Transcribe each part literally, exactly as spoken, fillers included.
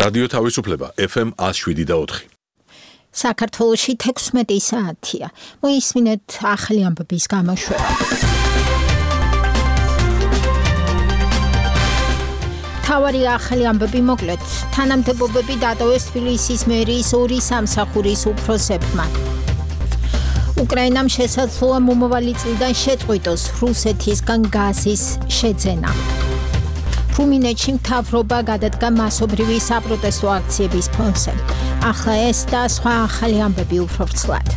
რადიო თავისუფლება F M one oh seven და four. საქართველოში თექვსმეტი საათია. მოისმინეთ ახალი ამბების გამოშვება. თავარი ახალი ამბები მოკლედ. თანამდებობები დატოვეს თბილისის მერიის ორი სამსახურის უფროსებმა. უკრაინამ შესაძლოა მომავალი წლიდან შეწყვიტოს რუსეთისგან გაზის შეძენა. რუმინეთში მთავრობა გადადგა მასობრივი საპროტესტო აქციების ფონზე. ახლა ეს და სხვა ახალი ამბები უფრო ვრცლად.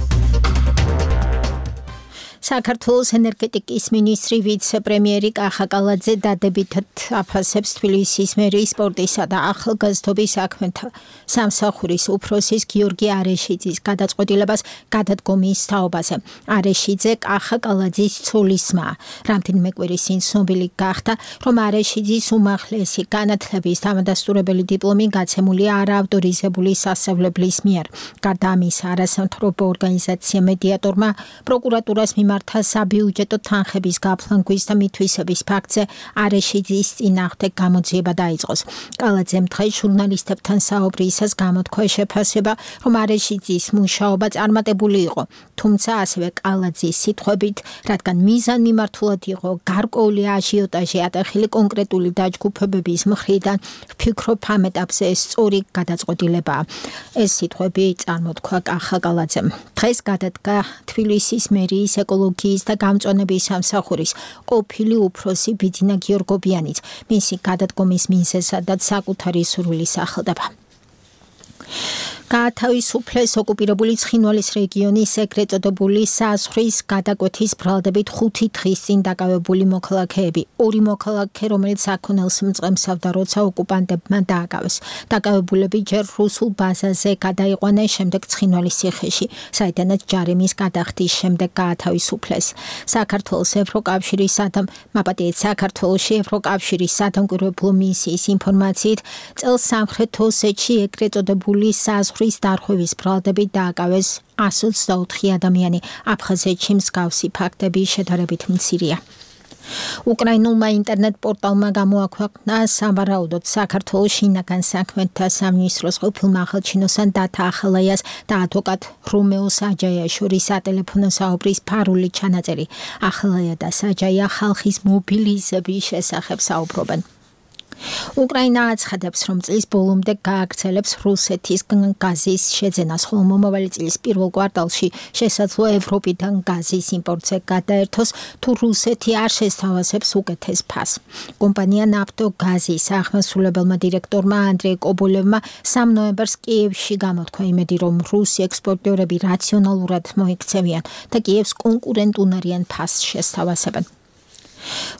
საქართველოს ენერგეტიკის მინისტრი ვიცე-პრემიერი კახა კალაძე დადებითად აფასებს თბილისის მერიის სპორტისა და ახალგაზრდობის საქმეთა სამსახურის უფროსის გიორგი არეშიძის გადაწყვეტილებას გადადგომის თაობაზე. არეშიძე კახა კალაძის ცოლისმა. რამდენიმე კვირის წინ ცნობილი გახდა, რომ არეშიძის უმაღლესი განათლების დამადასტურებელი დიპლომი გაცემულია არაავტორიზებული სასწავლებლის მიერ. გარდა ამისა, არასამთავრობო ორგანიზაცია მედიატორმა პროკურატურას მიმართა საბიუჯეტო თანხების გაფლანგვის და მითვისების ფაქტზე არეშიძის წინააღმდეგ გამოძიება დაიწყოს. კალაძემ დღეს ჟურნალისტებთან საუბრისას გამოთქვა შეფასება, რომ არეშიძის მუშაობა წარმატებული იყო, თუმცა ასევე კალაძის სიტყვებით, რადგან მიზანმიმართულად იყო გარკვეული აჟიოტაჟი ატეხილი კონკრეტული დაჯგუფებების მხრიდან, ვფიქრობ ამ ეტაპზე სწორი გადაწყვეტილებაა. ეს სიტყვები წარმოთქვა კახა კალაძემ. დღეს გადადგა თბილისის მერიის ეკოლოგიის და გამწვანების სამსახურის ყოფილი უფროსი ბიძინა გიორგობიანიც. მისი გადადგომის მიზეზადაც საკუთარი სურვილის სახელდება. გაათავისუფლეს ოკუპირებული ცხინვალის რეგიონის ეგრეთ წოდებული საზღვრის გადაკვეთის ბრალდებით ხუთი დღის წინ დაკავებული მოქალაქეები. ორი მოქალაქე, რომელიც საქონელს მწყემსავდა, როცა ოკუპანტებმა დააკავეს. დაკავებულები ჯერ რუსულ ბაზაზე გადაიყვანეს, შემდეგ ცხინვალის ციხეში, საიდანაც ჯარიმის გადახდის შემდეგ გაათავისუფლეს. საქართველოს ევროკავშირის სადამ მაპატიეთ საქართველოში ევროკავშირის სადამკვირვებლო მისიის ინფორმაციით, წელს სამხრეთ ოსეთში ეგრეთ წოდებული საზღვრის ხვის დარღვევის ბრალდებით დააკავეს one hundred twenty-four ადამიანი. აფხაზეთში მსგავსი ფაქტები შედარებით მცირეა. უკრაინულმა ინტერნეტ პორტალმა გამოაქვეყნა სავარაუდოდ საქართველოს შინაგან საქმეთა სამინისტროს ყოფილმა ახალჩინოსან დათა ახალაიას და ადვოკატ რომეო საჯაიას შორის სატელეფონო საუბრის ფარული ჩანაწერი. ახალაია და საჯაია ხალხის მობილიზების შესახებ საუბრობენ. უკრაინა აცხადებს, რომ წლის ბოლომდე გააგრძელებს რუსეთისგან გაზის შეძენას, ხოლო მომავალი წლის პირველ კვარტალში შესაძლოა ევროპიდან გაზის იმპორტზე გადაერთოს, თუ რუსეთი არ შესთავაზებს უკეთეს ფასს. კომპანია ნაფტოგაზის აღმასრულებელმა დირექტორმა ანდრეი კობოლევმა სამი ნოემბერს კიევში გამოთქვა იმედი, რომ რუსი ექსპორტიორები რაციონალურად მოიქცევიან და კიევს კონკურენტუნარიან ფასს შესთავაზებენ.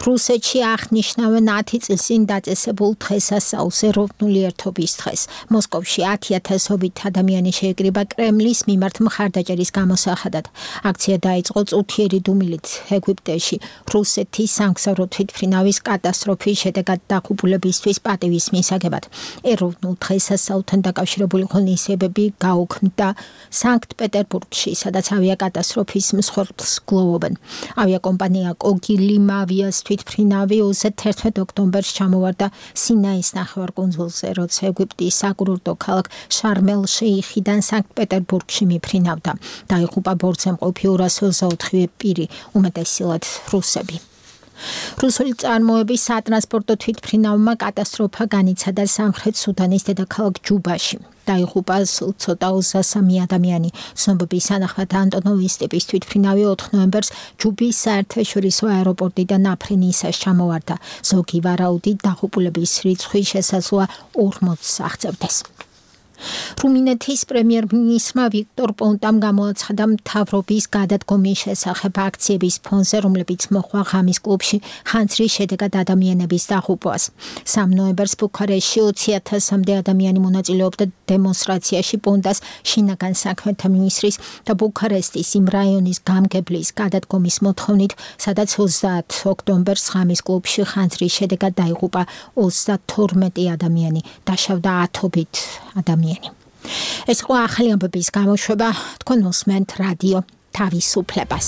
რუსეთში აღნიშნავენ ათი წლის წინ დაწესებულ დღესასწაულს, ეროვნული ერთობის დღეს. მოსკოვში ათი ათასობით ადამიანი შეიკრიბა კრემლის მიმართ მხარდაჭერის გამოსახადად. აქცია დაიწყო წუთიერი დუმილით ეგვიპტეში, რუსეთის სამგზავრო თვითმფრინავის კატასტროფის შედეგად დაღუპულებისთვის პატივის მისაგებად. ეროვნულ დღესასწაულთან დაკავშირებული ღონისძიებები გაუქმდა სანქტ-პეტერბურგში, სადაც ავიაკატასტროფის მსხვერპლს გლოვობენ. ავიაკომპანია კოგილიმავი თვითმფრინავი თერთმეტ ოქტომბერს ჩამოვარდა სინაის ნახევარკუნძულზე, როცა ეგვიპტის საკურორტო ქალაქ შარმელ-შეიხიდან სანქტ-პეტერბურგში მიფრინავდა. დაიღუპა ბორცემყოფი ორას ოცდაოთხივე პირი, უმეტესწილად რუსები. რუსული წარმოების სატრანსპორტო თვითმფრინავმა კატასტროფა განიცადა სამხრეთ სუდანის დედაქალაქ ჯუბაში. დაიღუპა ცოტა ოცდასამი ადამიანი. ცნობების თანახმად ანტონოვის ტიპის თვითმფრინავი ოთხ ნოემბერს ჯუბის საერთაშორისო აეროპორტიდან აფრინისას ჩამოვარდა. ზოგი ვარაუდით დაღუპულების რიცხვი შესაძლოა ორმოცს აღწევდეს. რუმინეთის პრემიერ-მინისტრმა ვიქტორ პონტამ გამოაცხადა მთავრობის გადადგომის შესახებ აქციების ფონზე, რომლებიც მოჰყვა ღამის კლუბში ხანძრის შედეგად ადამიანების დაღუპვას. სამი ნოემბერს ბუქარესტში ოცი ათასამდე ადამიანი მონაწილეობდა დემონსტრაციაში პონტას შინაგან საქმეთა მინისტრის და ბუქარესტის იმ რაიონის გამგებლის გადადგომის მოთხოვნით, სადაც ოცდაათი ოქტომბერს ღამის კლუბში ხანძრის შედეგად დაიღუპა ოცდათორმეტი ადამიანი, დაშავდა ათობით ადამიანი. ეს იყო ახალი ამბების გამოშვება, თქვენ უსმენთ რადიო თავისუფლებას.